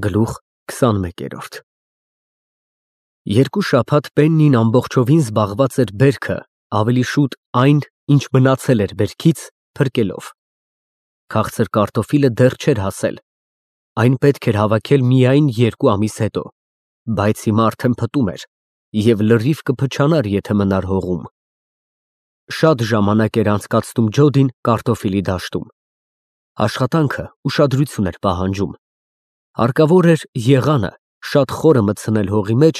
Գլուխ 21 Երկու շաբաթ Պեննին ամբողջովին զբաղված էր բերքը, ավելի շուտ այն, ինչ մնացել էր բերքից, փրկելով։ Քաղցր կարտոֆիլը դեռ չէր հասել, այն պետք էր հավաքել միայն 2 ամիս հետո, բայց հիմա արդեն փտում էր և լրիվ կփչանար, եթե մնար հողում։ Շատ ժամանակ էր անցկացնում Ջոդին կարտոֆիլի դաշտում։ Աշխատանքը ուշադրություն էր պահանջում։ Հարկավոր էր եղանը շատ խորը մտցնել հողի մեջ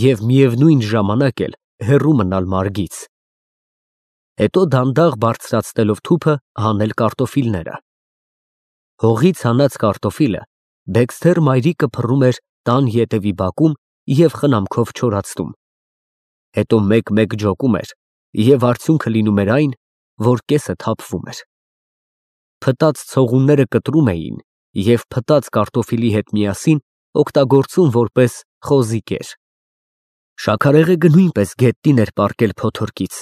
և միևնույն ժամանակ էլ հեռու մնալ մարգից։ Հետո դանդաղ բարձրացնելով թուփը հանել կարտոֆիլները։ Հողից հանած կարտոֆիլը Դեքսթեր մայրիկը փռում էր տան ետևի բակում և խնամքով չորացնում։ Հետո մեկ-մեկ ջոկում էր և արդյունքը լինում էր այն, որ կեսը թափվում էր։ Փտած ցողունները կտրում էին և փտած կարտոֆիլի հետ միասին օգտագործում որպես խոզի կեր։ Շաքարեղեգը նույնպես գետնին էր պառկել փոթորկից։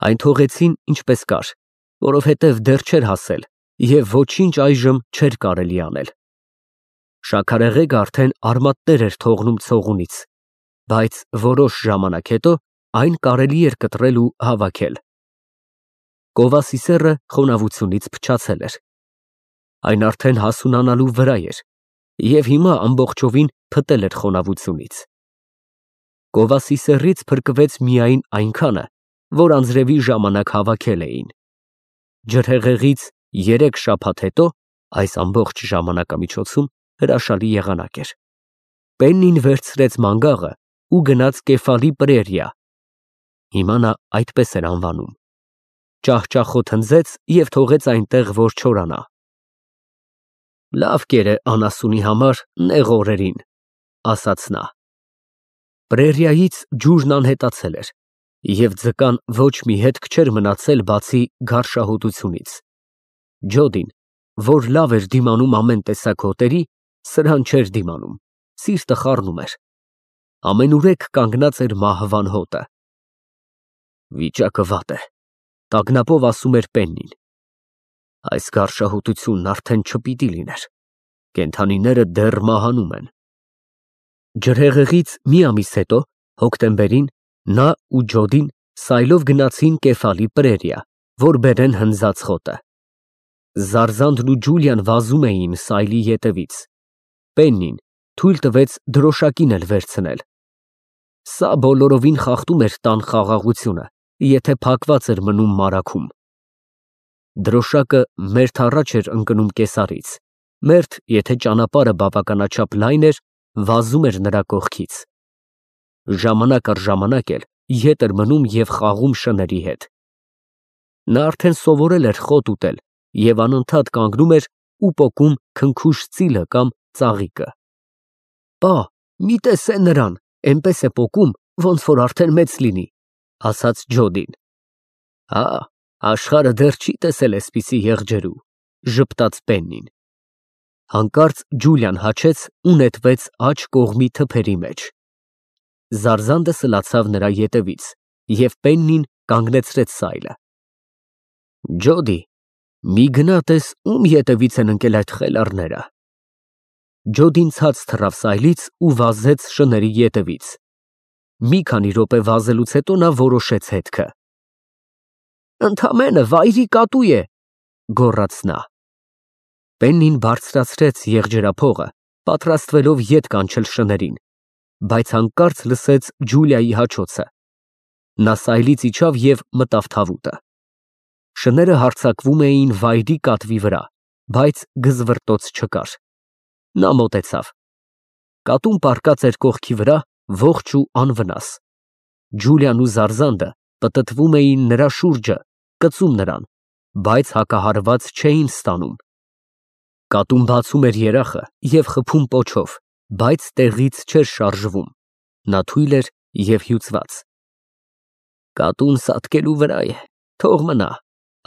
Այն թողեցին ինչպես կար, որովհետև դեռ չէր հասել և ոչինչ այժմ չէր կարելի անել։ Շաքարեղեգը արդեն արմատներ էր թողնում ցողունից, բայց որոշ ժամանակ հետո այն կարելի էր կտրել ու հավաքել։ Կովասի սեռը խոնավությունից փչացել էր։ Այն արդեն հասունանալու վրա էր և հիմա ամբողջովին փտել էր խոնավությունից։ Կովասի սեռից փրկվեց միայն այնքանը, որ անձրևի ժամանակ հավաքել էին։ Ջրհեղեղից 3 շաբաթ հետո այս ամբողջ ժամանակամիջոցում հրաշալի եղանակ էր։ Պեննին վերցրեց մանգաղը ու գնաց Կեֆալի պրերիա (հիմա նա այդպես էր անվանում)։ Ճահճախոտ հնձեց և թողեց այնտեղ, որ չորանա։ Լավ կեր է անասունի համար նեղ օրերին, ասաց նա։ Պրերիայից ջուրն անհետացել էր, և ձկան ոչ մի հետք չէր մնացել, բացի գարշահոտությունից։ Ջոդին, որ լավ էր դիմանում ամեն տեսակ հոտերի, սրան չէր դիմանում, սիրտը խառնում էր։ Ամենուրեք կանգնած էր մահվան հոտը։ Վիճակը վատ է, տագնապով ասում էր Պեննին։ Այս գարշահոտությունն արդեն չպիտի լիներ, կենդանիները դեռ մահանում են։ Ջրհեղեղից մի ամիս հետո, հոկտեմբերին, նա ու Ջոդին սայլով գնացին Կեֆալի պրերիա, որ բերեն հնձած խոտը։ Զարզանդն ու Ջուլիան վազում էին սայլի ետևից։ Պեննին թույլ տվեց դրոշակին էլ վերցնել։ Սա բոլորովին խախտում էր տան խաղաղությունը, եթե փակված էր մնում մարագում։ Դրոշակը մերթ առաջ էր ընկնում կեսարից, մերթ, եթե ճանապարհը բավականաչափ լայն էր, վազում էր նրա կողքից։ Ժամանակ առ ժամանակ էլ ետ էր մնում և խաղում շների հետ։ Նա արդեն սովորել էր խոտ ուտել և անընդհատ կանգնում էր ու պոկում քնքուշ ծիլը կամ ծաղիկը։ Պա, մի տեսե նրան, էնպես է պոկում, ոնց որ արդեն մեծ լինի, ասաց Ջոդին։ Հա, աշխարհը դեռ չի տեսել էսպիսի եղջերու, ժպտաց Պեննին։ Հանկարծ Ջուլիան հաչեց ու նետվեց աջ կողմի թփերի մեջ։ Զարզանդը սլացավ նրա ետևից, և Պեննին կանգնեցրեց սայլը։ Ջոդի, մի գնա տես ում ետևից են ընկել այդ խելառները։ Ջոդին ցած թռավ սայլից ու վազեց շների ետևից։ Մի քանի րոպե վազելուց հետո նա որոշեց հետքը։ Ընդամենը վայրի կատու է, գոռաց նա։ Պեննին բարձրացրեց եղջերափողը, պատրաստվելով ետ կանչել շներին, բայց հանկարծ լսեց Ջուլիայի հաչոցը։ Նա սայլից իջավ և մտավ թավուտը։ Շները հարձակվում էին վայրի կատվի վրա, բայց գզվռտոց չկար։ Նա մոտեցավ։ Կատուն պառկած էր կողքի վրա, ողջ ու անվնաս։ Ջուլիան ու Զարզանդը պտտվում էին նրա շուրջը, կծում նրան, բայց հակահարված չէին ստանում։ Կատուն բացում էր երախը և խփում պոչով, բայց տեղից չէր շարժվում։ Նա թույլ էր և հյուծված։ Կատուն սատկելու վրա է, թող մնա,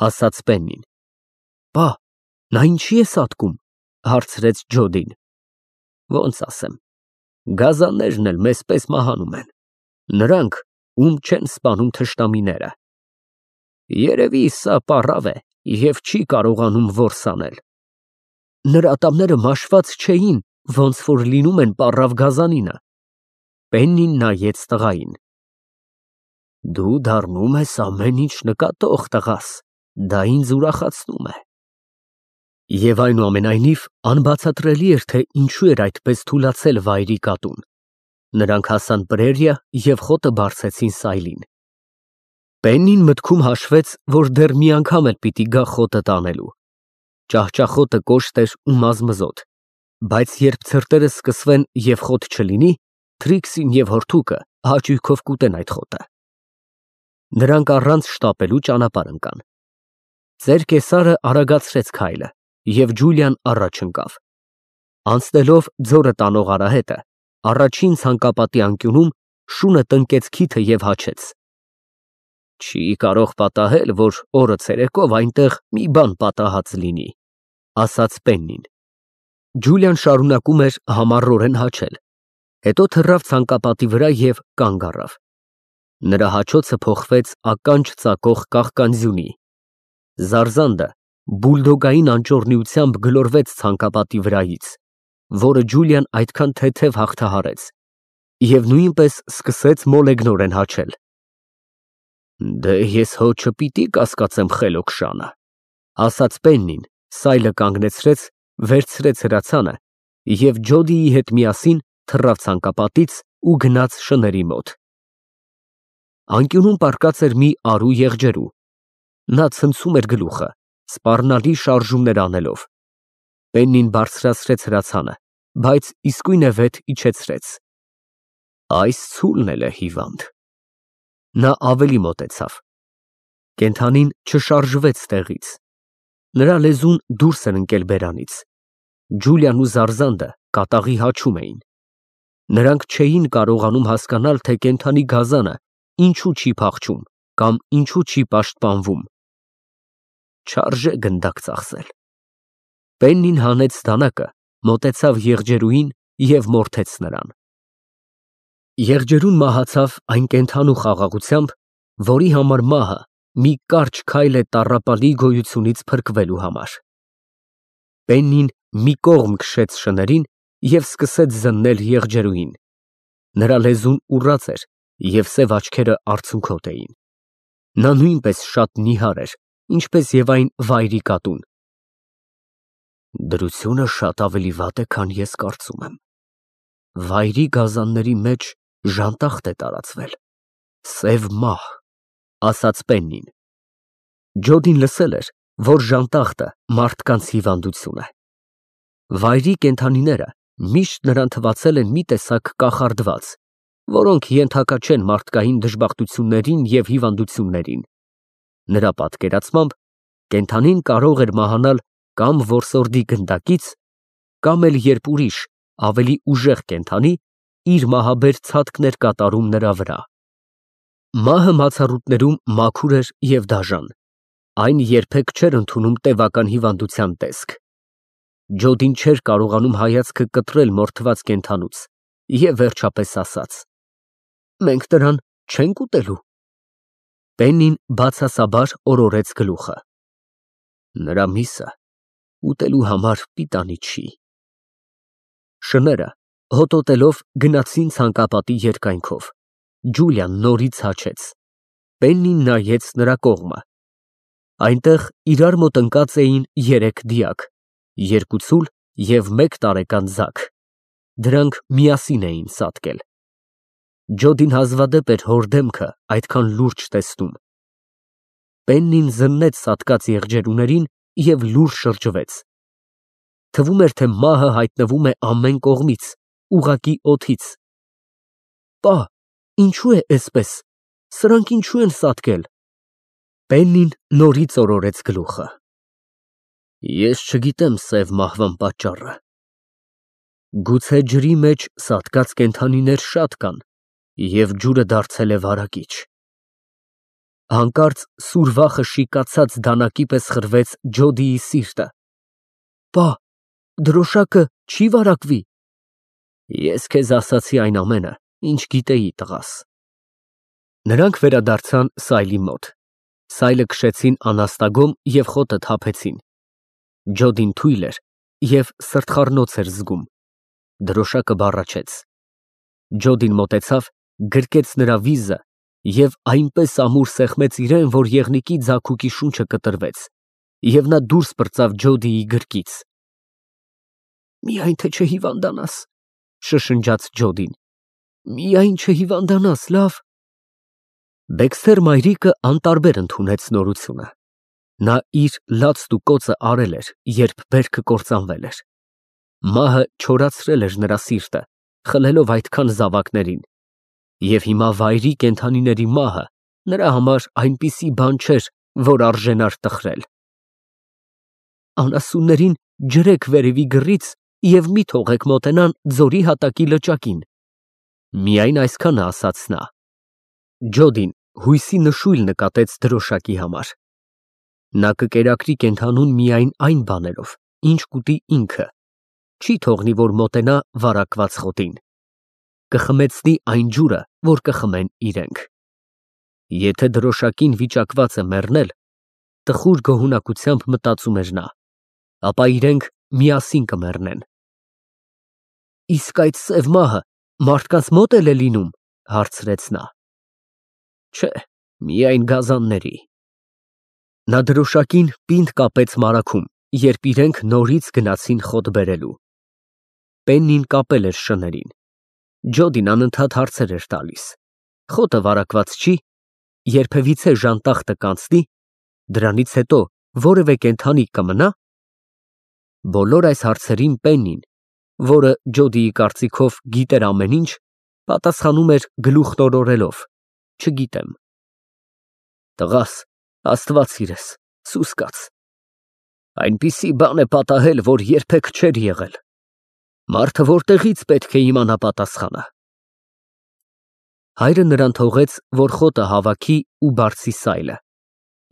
ասաց Պեննին։ Պա, նա ինչի է սատկում, հարցրեց Ջոդին։ Ոնց ասեմ, գազաններն էլ մեզ պես մահանում են, նրանք, ում չեն սպանում թշնամիները։ Երևի սա պառավ է և չի կարողանում որս անել։ Նրա ատամները մաշված չէին, ոնց որ լինում են պառավ գազանինը։ Պեննին նայեց տղային։ Դու դառնում ես ամեն ինչ նկատող տղաս, դա ինձ ուրախացնում է։ Եվ այնուամենայնիվ անբացատրելի էր, թե ինչու էր այդպես թուլացել վայրի կատուն։ Նրանք հասան պրերիա և խոտը բարձեցին սայլին։ Պեննին մտքում հաշվեց, որ դեռ մի անգամ էլ պիտի գա խոտը տանելու։ Ճահճախոտը կոշտ էր ու մազմզոտ, բայց երբ ցրտերը սկսվեն և խոտ չլինի, Թրիքսին և հորթուկը հաճույքով կուտեն այդ խոտը։ Նրանք առանց շտապելու ճանապարհ ընկան։ Ծեր կեսարը արագացրեց քայլը, և Ջուլիան առաջ ընկավ։ Անցնելով ձորը տանող արահետը, առաջին ցանկապատի անկյունում շունը տնկեց քիթը և հաչեց։ Չի կարող պատահել, որ օրը ցերեկով այնտեղ մի բան պատահած լինի, ասաց Պեննին։ Ջուլիան շարունակում էր համառորեն հաչել, հետո թռավ ցանկապատի վրա և կանգ առավ։ Նրա հաչոցը փոխվեց ականջ ծակող կաղկանձյունի։ Զարզանդը բուլդոգային անճոռնիությամբ գլորվեց ցանկապատի վրայից, որը Ջուլիան այդքան թեթև հաղթահարեց, և նույնպես սկսեց մոլեգնորեն հաչել։ Դե ես հո չպիտի կասկածեմ խելոք շանը, ասաց Պեննին, սայլը կանգնեցրեց, վերցրեց հրացանը և Ջոդիի հետ միասին թռավ ցանկապատից ու գնաց շների մոտ։ Անկյունում պառկած էր մի արու եղջերու։ Նա ցնցում էր գլուխը, սպառնալի շարժումներ անելով։ Պեննին բարձրացրեց հրացանը, բայց իսկույնևեթ իջեցրեց։ Այս ցուլն էլ է հիվանդ։ Նա ավելի մոտեցավ։ Կենդանին չշարժվեց տեղից։ Նրա լեզուն դուրս էր ընկել բերանից։ Ջուլիան ու Զարզանդը կատաղի հաչում էին։ Նրանք չէին կարողանում հասկանալ, թե կենդանի գազանը ինչու չի փախչում կամ ինչու չի պաշտպանվում։ Չարժե գնդակ ծախսել։ Պեննին հանեց դանակը, մոտեցավ եղջերուին և մորթեց նրան։ Եղջերուն մահացավ այն կենդանու խաղաղությամբ, որի համար մահը մի կարճ քայլ է տառապալի գոյությունից փրկվելու համար։ Պեննին մի կողմ քշեց շներին և սկսեց զննել եղջերուին։ Նրա լեզուն ուռած էր և սև աչքերը արցունքոտ էին։ Նա նույնպես շատ նիհար էր, ինչպես և այն վայրի կատուն։ Դրությունը շատ ավելի վատ է, քան ես կարծում եմ։ Վայրի գազանների մեջ ժանտախտ է տարածվել, սև մահ, ասաց Պեննին։ Ջոդին լսել էր, որ ժանտախտը մարդկանց հիվանդություն է։ Վայրի կենդանիները միշտ նրան թվացել են մի տեսակ կախարդված, որոնք ենթակա չեն մարդկային դժբախտություններին և հիվանդություններին։ Նրա պատկերացմամբ կենդանին կարող էր մահանալ կամ որսորդի գնդակից, կամ էլ երբ ուրիշ, ավելի ուժեղ կենդանի իր մահաբեր ցատկն էր կատարում նրա վրա։ Մահը մացառուտներում մաքուր էր և դաժան։ Այն երբեք չէր ընդունում տևական հիվանդության տեսք։ Ջոդին չէր կարողանում հայացքը կտրել մորթված կենդանուց և վերջապես ասաց. Մենք նրան չենք ուտելու։ Պեննին բացասաբար օրորեց գլուխը։ Նրա միսը ուտելու համար պիտանի չի։ Շները հոտոտելով գնացին ցանկապատի երկայնքով։ Ջուլիան նորից հաչեց։ Պեննին նայեց նրա կողմը։ Այնտեղ իրար մոտ ընկած էին երեք դիակ, երկու ցուլ և մեկ տարեկան ձագ։ Դրանք միասին էին ծածկել։ Ջոդին հազվադեպ էր հոր դեմքը այդքան լուրջ տեսնում։ Պեննին զննեց ծածկած եղջերուներին և լուռ շրջվեց։ Թվում էր, թե մահը հայտնվում է ամեն կողմից, ուղղակի օդից։ Պա, ինչու է էսպես, սրանք ինչու են ծածկել։ Պեննին նորից օրորեց գլուխը։ Ես չգիտեմ սև մահվան պատճառը։ Գուցե ջրի մեջ սատկած կենդանիներ շատ կան, և ջուրը դարձել է վարակիչ։ Հանկարծ սուր վախը շիկացած դանակի պես խրվեց Ջոդիի սիրտը։ Պա, դրոշակը չի վարակվի։ Ես քեզ ասացի այն ամենը, ինչ գիտեի, տղաս։ Նրանք վերադարձան սայլի մոտ։ Սայլը քշեցին անաստագոմ և խոտը թափեցին։ Ջոդին թույլ էր և սրտխառնոց էր զգում։ Դրոշակը բառաչեց։ Ջոդին մոտեցավ, գրկեց նրա վիզը և այնպես ամուր սեղմեց իրեն, որ եղնիկի ձագուկի շունչը կտրվեց, և նա դուրս պրծավ Ջոդիի գրկից։ «Միայն թե չհիվանդանաս», շշնջաց Ջոդին, «միայն չհիվանդանաս, լավ»։ Դեքսթեր մայրիկը անտարբեր ընդունեց նորությունը։ Նա իր լացն ու կոծը արել էր, երբ բերքը կործանվել էր։ Մահը չորացրել էր նրա սիրտը, խլելով այդքան զավակներին, և հիմա վայրի կենդանիների մահը նրա համար այնպիսի բան չէր, որ արժենար տխրել։ «Անասուններին ջրեք վերևի գռից և մի թողեք մոտենան ձորի հատակի լճակին», միայն այսքանը ասաց նա։ Ջոդին հույսի նշույլ նկատեց դրոշակի համար։ Նա կկերակրի կենդանուն միայն այն բաներով, ինչ կուտի ինքը, չի թողնի, որ մոտենա վարակված խոտին։ Կխմեցնի այն ջուրը, որ կխմեն իրենք։ Եթե դրոշակին վիճակված է մեռնել, տխուր գոհունակությամբ մտածում էր նա, ապա իրենք միասին կմեռնեն։ «Իսկ այդ սև մահը մարդկանց մոտ էլ է լինում», հարցրեց նա։ «Չէ, միայն գազանների»։ Նա դրոշակին պինդ կապեց մարագում, երբ իրենք նորից գնացին խոտ բերելու։ Պեննին կապել էր շներին։ Ջոդին անընդհատ հարցեր էր տալիս. «Խոտը վարակված չի, երբևիցե ժանտախտը կանցնի, դրանից հետո որևէ կենդանի կմնա»։ Բոլոր այս հարցերին Պեննին, որը Ջոդիի կարծիքով գիտեր ամեն ինչ, պատասխանում էր գլուխն օրորելով. «Չգիտեմ»։ «Տղաս, Աստված սիրես, սուս կաց։ Այնպիսի բան է պատահել, որ երբեք չէր եղել։ Մարդը որտեղից պետք է իմանա պատասխանը»։ Հայրը նրան թողեց, որ խոտը հավաքի ու բարձի սայլը,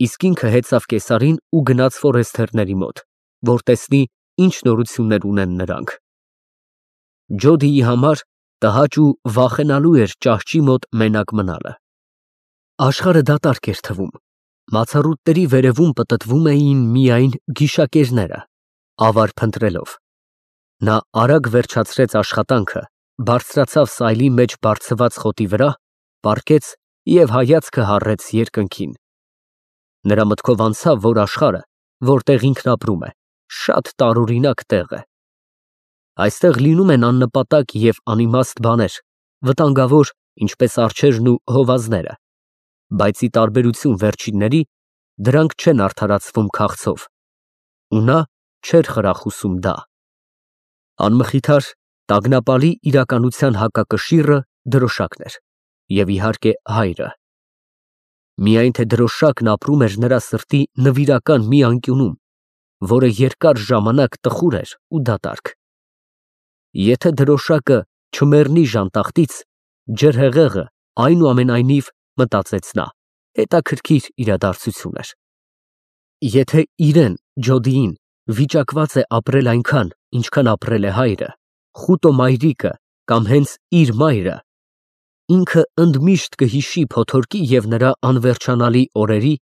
իսկ ինքը հեծավ կեսարին ու գնաց ֆորեստերների մոտ, որ տեսնի, ինչ նորություններ ունեն նրանք։ Ջոդիի համար տհաճ ու վախենալու էր ճահճի մոտ մենակ մնալը։ Աշխարհը դատարկ էր թվում։ Մացառուտների վերևում պտտվում էին միայն գիշակերները, ավար փնտրելով։ Նա արագ վերջացրեց աշխատանքը, բարձրացավ սայլի մեջ բարձված խոտի վրա, պառկեց և հայացքը հառեց երկնքին։ Նրա մտքով անցավ, որ աշխարհը, որտեղ ինքն ապրում է, շատ տարօրինակ տեղ է։ Այստեղ լինում են աննպատակ և անիմաստ բաներ, վտանգավոր, ինչպես արջերն ու հովազները, բայց ի տարբերություն վերջինների, դրանք չեն արդարացվում քաղցով, ու նա չէր խրախուսում դա։ Անմխիթար, տագնապալի իրականության հակակշիռը դրոշակն էր, և իհարկե հայրը։ Միայն թե դրոշակն ապրում էր նրա սրտի նվիրական մի անկյունում, որը երկար ժամանակ տխուր էր ու դատարկ։ Եթե դրոշակը չմեռնի ժանտախտից, ջրհեղեղը, այնուամենայնիվ, մտածեց նա, հետաքրքիր իրադարձություն էր։ Եթե իրեն, Ջոդիին, վիճակված է ապրել այնքան, ինչքան ապրել է հայրը, խուտո մայրիկը կամ հենց իր մայրը, ինքը ընդմիշտ կհիշի փոթորկի և նրա անվերջանալի օրերի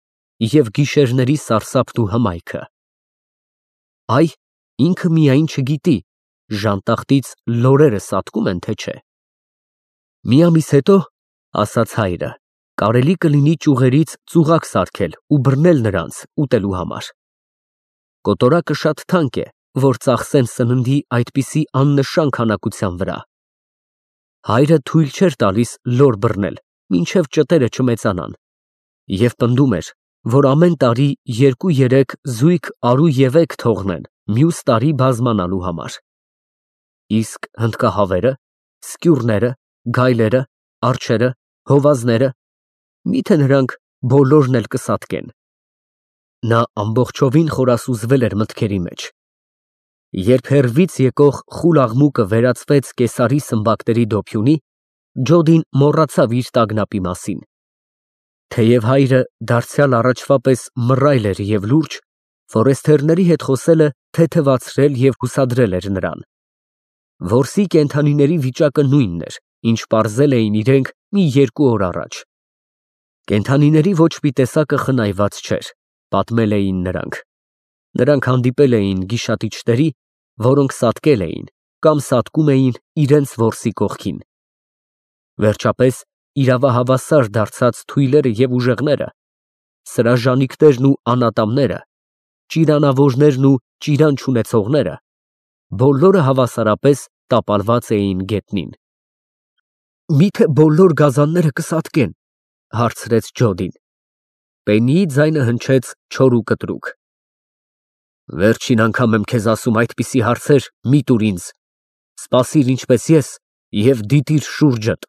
և գիշերների սարսափն ու հմայքը։ Այ, ինքը միայն չգիտի, ժանտախտից լորերը սատկում են, թե չէ։ Մի ամիս հետո, ասաց հայրը, կարելի կլինի ճյուղերից ծուղակ սարքել ու բռնել նրանց ուտելու համար։ Կոտորակը շատ թանկ է, որ ծախսեն սննդի այդպիսի աննշան քանակության վրա։ Հայրը թույլ չէր տալիս լոր բռնել, մինչև ճտերը չմեծանան, և պնդում էր, որ ամեն տարի 2-3 զույգ արու ևեկ թողնեն մյուս տարի բազմանալու համար։ Իսկ հնդկահավերը, սկյուռները, գայլերը, արջերը, հովազները, միթե նրանք բոլորն էլ կսատկեն։ Նա ամբողջովին խորասուզվել էր մտքերի մեջ։ Երբ հեռվից եկող խուլ աղմուկը վերածվեց կեսարի սմբակների դոփյունի, Ջոդին մոռացավ իր տագնապի մասին։ Թեև հայրը դարձյալ առաջվա պես մռայլ էր և լուրջ, ֆորեստերների հետ խոսելը թեթևացրել և հուսադրել էր նրան։ Որսի կենդանիների վիճակը նույնն էր, ինչ պարզել էին իրենք մի 2 օր առաջ։ Կենդանիների ոչ մի տեսակը խնայված չէր, պատմել էին նրանք։ Նրանք հանդիպել էին գիշատիչների, որոնք սատկել էին կամ սատկում էին իրենց որսի կողքին։ Վերջապես իրավահավասար դարձած թույլերը եւ ուժեղները, սրաժանիկներն ու անատամները, ճիրանավորներն ու ճիրան չունեցողները, բոլորը հավասարապես տապալված էին գետնին։ Միթե բոլոր գազանները կսատկեն, հարցրեց Ջոդին։ Պեննիի ձայնը հնչեց չոր ու կտրուկ։ Վերջին անգամ եմ քեզ ասում այդպիսի հարցեր մի տուր ինձ, սպասիր ինչպես ես և դիտիր շուրջդ։